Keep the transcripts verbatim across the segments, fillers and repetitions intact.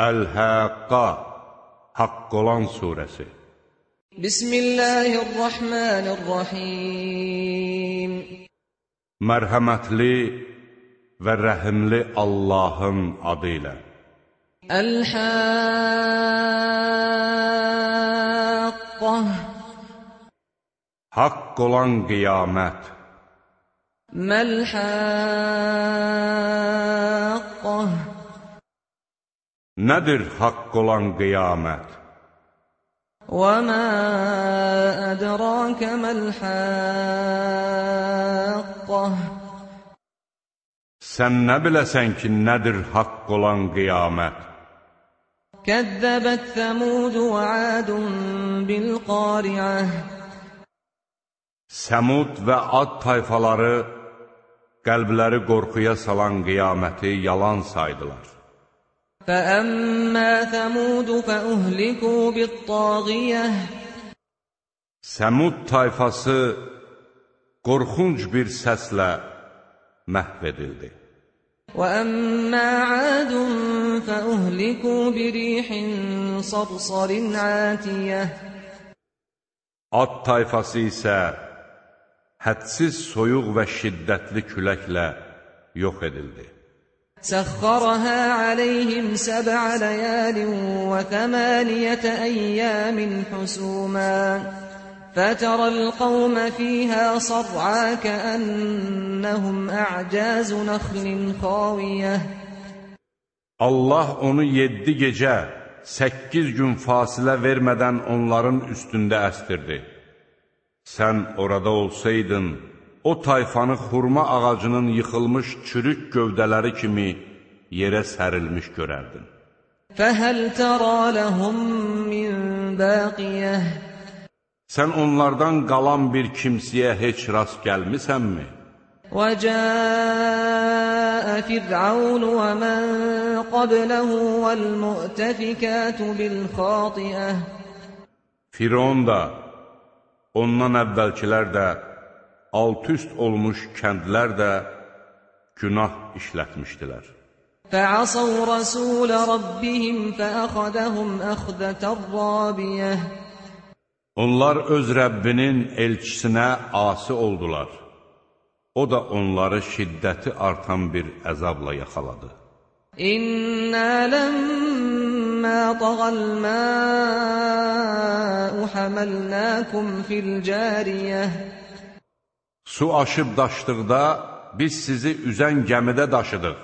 Əl-Həqqa, Haqq olan surəsi. Bismillahirrahmanirrahim. Mərhəmətli və rəhimli Allahın adı ilə. Əl-Həqqa, Haqq olan qiyamət. Məl-Həqqa, Nədir haqq olan qiyamət? Və mə ədrəkə məl-Həqqa, Sən nə biləsən ki, nədir haqq olan qiyamət? Kəzzəbət Səmud və Ədun bil-Qari'ə, Səmud və Ad tayfaları qəlbləri qorxuya salan qiyaməti yalan saydılar. فَأَمَّا ثَمُودُ فَأُهْلِكُوا بِالطَّاغِيَةِ, Səmud tayfası qorxunc bir səslə məhv edildi. وَأَمَّا عَادٌ فَأُهْلِكُوا بِرِيحٍ صَرْصَرٍ عَاتِيَةٍ, Ad tayfası isə hədsiz soyuq və şiddətli küləklə yox edildi. سَخَّرَهَا عَلَيْهِمْ سَبْعَ لَيَالٍ وَثَمَانِيَةَ أَيَّامٍ حُسُومًا فَتَرَى الْقَوْمَ فِيهَا صَرْعَىٰ كَأَنَّهُمْ أَعْجَازُ نَخْلٍ خَاوِيَةٍ. Allah onu yeddi gecə, səkkiz gün fasilə vermədən onların üstündə əstirdi. Sən orada olsaydın, o tayfanı xurma ağacının yıxılmış çürük gövdələri kimi yerə sərilmiş görərdin. فَهَلْ تَرَى لَهُم مِّن بَاقِيَةٍ, Sən onlardan qalan bir kimsəyə heç rast gəlmisənmi? وَجَاءَ فِرْعَوْنُ وَمَن قَبْلَهُ وَالْمُؤْتَفِكَاتُ بِالْخَاطِئَةِ, Firon da, ondan əvvəlkilər də, alt-üst olmuş kəndlər də günah işlətmişdilər. فَعَصَوْا رَسُولَ رَبِّهِمْ فَأَخَذَهُمْ أَخْذَةً رَّابِيَةً. Onlar öz Rəbbinin elçisinə asi oldular. O da onları şiddəti artan bir əzabla yaxaladı. İnnə ləmmə tağal mə'u həməlnəkum fil-cəriyyəh. Su aşıb daşdıqda biz sizi üzən gəmidə daşıdıq.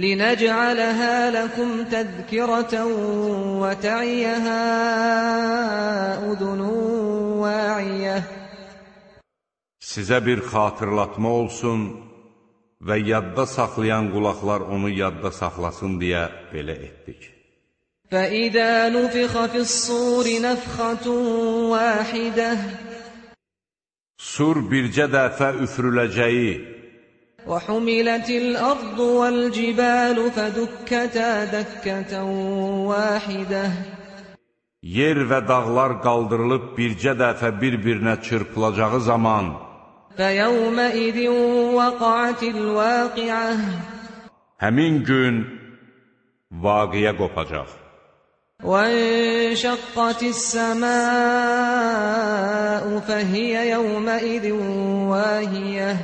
لِنَجْعَلَهَا لَكُمْ تَذْكِرَةً وَتَعِيَهَا أُذُنٌ وَاعِيَةٌ. Sizə bir xatırlatma olsun və yadda saxlayan qulaqlar onu yadda saxlasın deyə belə etdik. فَإِذَا نُفِخَ فِي الصُّورِ نَفْخَةٌ وَاحِدَةٌ, Sur bircə dəfə üfürüləcəyi, وَحُمِلَتِ الْأَرْضُ وَالْجِبَالُ فَدُكَّتَا دَكَّةً وَاحِدَةً, yer və dağlar qaldırılıb bircə dəfə bir-birinə çırpılacağı zaman, فَيَوْمَئِذٍ وَقَعَتِ الْوَاقِعَةُ, həmin gün vaqiyə qopacaq. وَانشَقَّتِ السَّمَاءُ فَهِيَ يَوْمَئِذٍ وَاهِيَةٌ,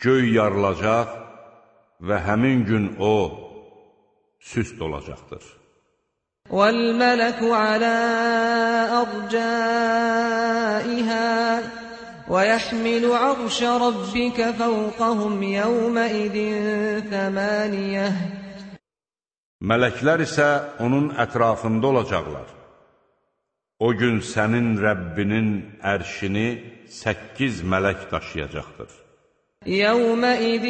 Göy yarılacaq və həmin gün o süst olacaqdır. وَالْمَلَكُ عَلَى أَرْجَائِهَا وَيَحْمِلُ عَرْشَ رَبِّكَ فَوْقَهُمْ يَوْمَئِذٍ ثَمَانِيَةٌ. Mələklər isə onun ətrafında olacaqlar. O gün sənin Rəbbinin ərşini səkkiz mələk daşıyacaqdır. يَوْمَئِذٍ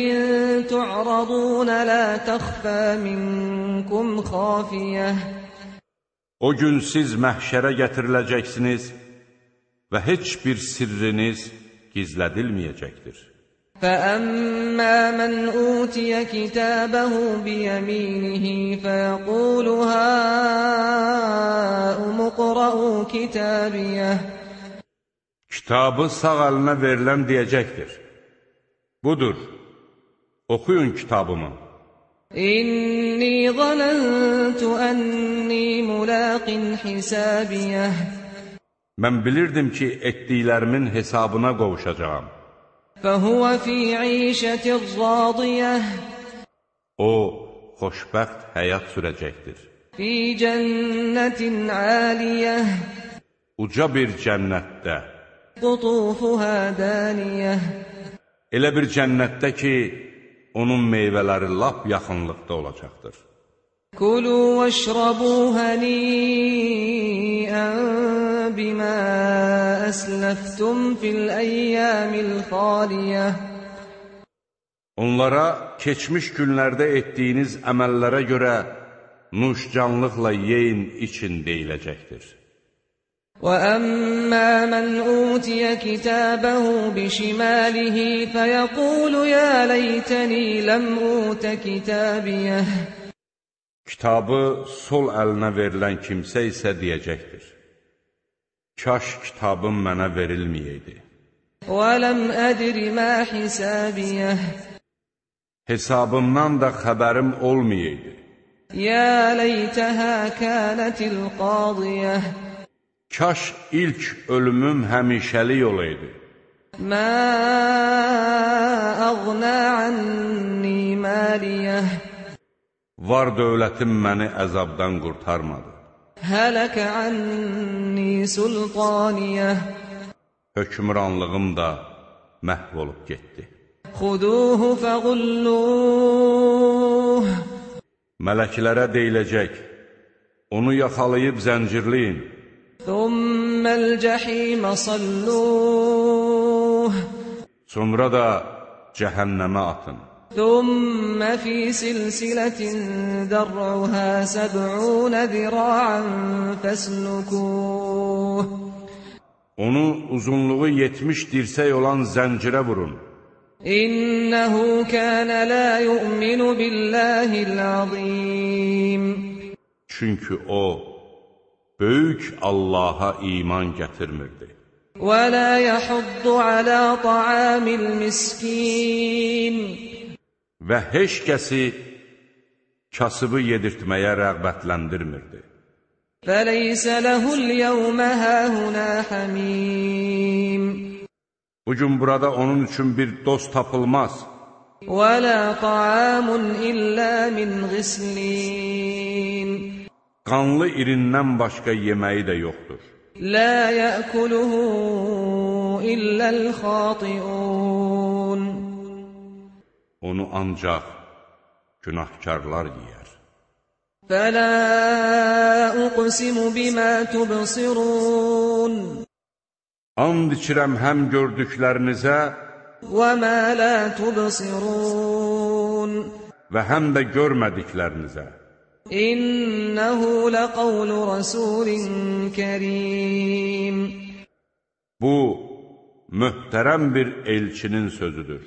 تُعْرَضُونَ لَا تَخْفَى مِنكُمْ خَافِيَةٌ. O gün siz məhşərə gətiriləcəksiniz və heç bir sirriniz gizlədilməyəcəkdir. فَأَمَّا مَنْ أُوتِيَ كِتَابَهُ بِيَمِينِهِ فَيَقُولُ هَاؤُمُ اقْرَءُوا كِتَابِيَهْ. Kitabı sağ əlinə verilən deyəcəkdir: Budur, oxuyun kitabımı. إني ظننت أني ملاق حسابيه. Mən bilirdim ki, etdiklərimin hesabına qovuşacağam. فهو في عيشة راضية. O, xoşbəxt həyat sürəcəkdir. في جنة عالية. Uca bir cənnətdə. قطوفها دانية. Elə bir cənnətdə ki, onun meyvələri lap yaxınlıqda olacaqdır. كلوا واشربوا هنيئا بما أسلفتم في الأيام الخالية. Onlara keçmiş günlərdə etdiyiniz əməllərə görə nuşcanlıqla yeyin için deyiləcəkdir. وَأَمَّا مَنْ أُوتِيَ كِتَابَهُ بِشِمَالِهِ فَيَقُولُ يَا لَيْتَنِي لَمْ أُوتَ كِتَابِيَهْ. Kitabı sol əlinə verilən kimsə isə deyəcəkdir: Kaş kitabım mənə verilməyəydi. وَلَمْ أَدْرِ مَا حِسَابِيَهْ. Hesabımdan da xəbərim olmayaydı. يَا لَيْتَهَا كَانَتِ الْقَاضِيَةِ. Kaş ilk ölümüm həmişəlik olaydı. مَا أَغْنَى عَنِّي مَالِيَهْ. Var dövlətim məni əzabdan qurtarmadı. هَلَكَ عَنِّي سُلْطَانِيَهْ. Hökmranlığım da məhv olub getdi. خُذُوهُ فَغُلُّوهُ. Mələklərə deyiləcək: Onu yaxalayıb zəncirləyin. ثُمَّ الْجَحِيمَ صَلُّوهُ. Sonra da cəhənnəmə atın. ثُمَّ فِي سِلْسِلَةٍ ذَرْعُهَا سَبْعُونَ ذِرَاعًا فَاسْلُكُوهُ. Onu uzunluğu yetmiş dirsək olan zəncirə vurun. İnnehu kana la yu'minu billahil azim. Çünki o böyük Allaha iman gətirmirdi. Və la yahuddu ala ta'amil miskin. Və heç kəsi kasıbı yedirtməyə rəğbətləndirmirdi. Fəleysə ləhul yevmə həhunə həmim. Bugün burada onun üçün bir dost tapılmaz. Və la ta'amun illə min ghislin. Qanlı irindən başqa yeməyi də yoxdur. La ya'kuluhu illəl xati'un. Onu ancaq günahkarlar yeyər. Fələ uqsimu bimə tubsirun. And içirəm həm gördüklərinizə və mə la tubsirun. Və həm də görmədiklərinizə. İnnəhu ləqavlu rasulin kərim. Bu, möhtərəm bir elçinin sözüdür.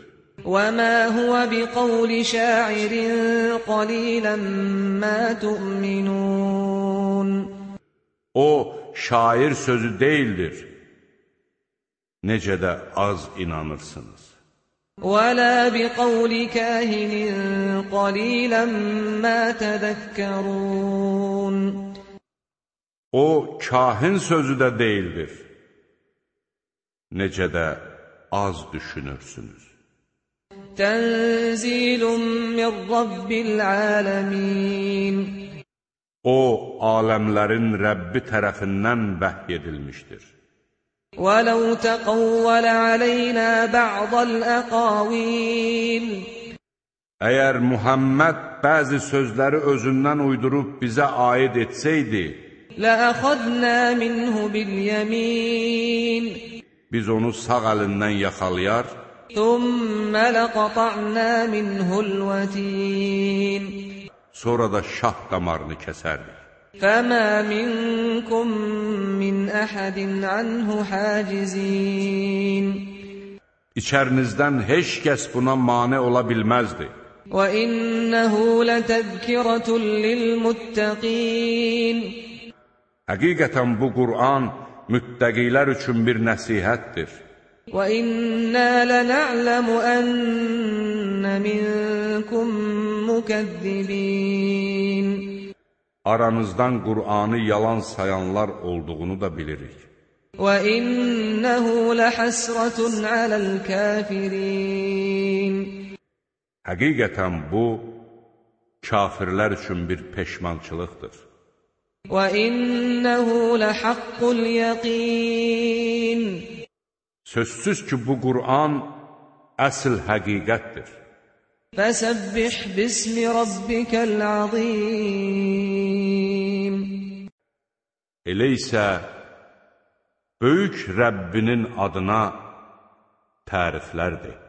وَمَا هُوَ بِقَوْلِ شَاعِرٍ قَلِيلًا مَا تُؤْمِنُونَ. O, şair sözü değildir. Necə də az inanırsınız. وَلَا بِقَوْلِ كَاهِنٍ قَلِيلًا مَا تَذَكَّرُونَ. O, kahin sözü də değildir. Necə də az düşünürsünüz. Tənzilun min Rabbil alemin. O, aləmlərin Rəbbi tərəfindən vəhy edilmişdir. وَلَوْ تَقَوَّلَ عَلَيْنَا بَعْضَ الْأَقَاوِيلِ. Əgər Muhammed bəzi sözləri özündən uydurub bizə aid etsəydi, لَأَخَذْنَا مِنْهُ بِالْيَمِينِ. Biz onu sağ əlindən yaxalayar, ثُمَّ لَقَطَعْنَا مِنْهُ الْوَتِينَ. Sonra da şah damarını kəsərdik. فَمَا مِنْكُمْ مِنْ أَحَدٍ عَنْهُ حَاجِزِينَ. İçərinizdən heç kəs buna mane ola bilməzdi. وَإِنَّهُ لَتَذْكِرَةٌ لِلْمُتَّقِينَ. Həqiqətən bu Qur'an müttəqilər üçün bir nəsihətdir. وَإِنَّا لَنَعْلَمُ أَنَّ مِنكُم مُكَذِّبِينَ Aranızdan Qur'anı yalan sayanlar olduğunu da bilirik. وَإِنَّهُ لَحَسْرَةٌ عَلَى الْكَافِرِينَ Həqiqətən bu, kafirlər üçün bir peşmançılıqdır. وَإِنَّهُ لَحَقُّ الْيَقِينِ Sözsüz ki, bu Qur'an əsl həqiqətdir. فَسَبِّحْ بِاسْمِ رَبِّكَ الْعَظِيمِ Elə isə, böyük Rəbbinin adına təriflər de.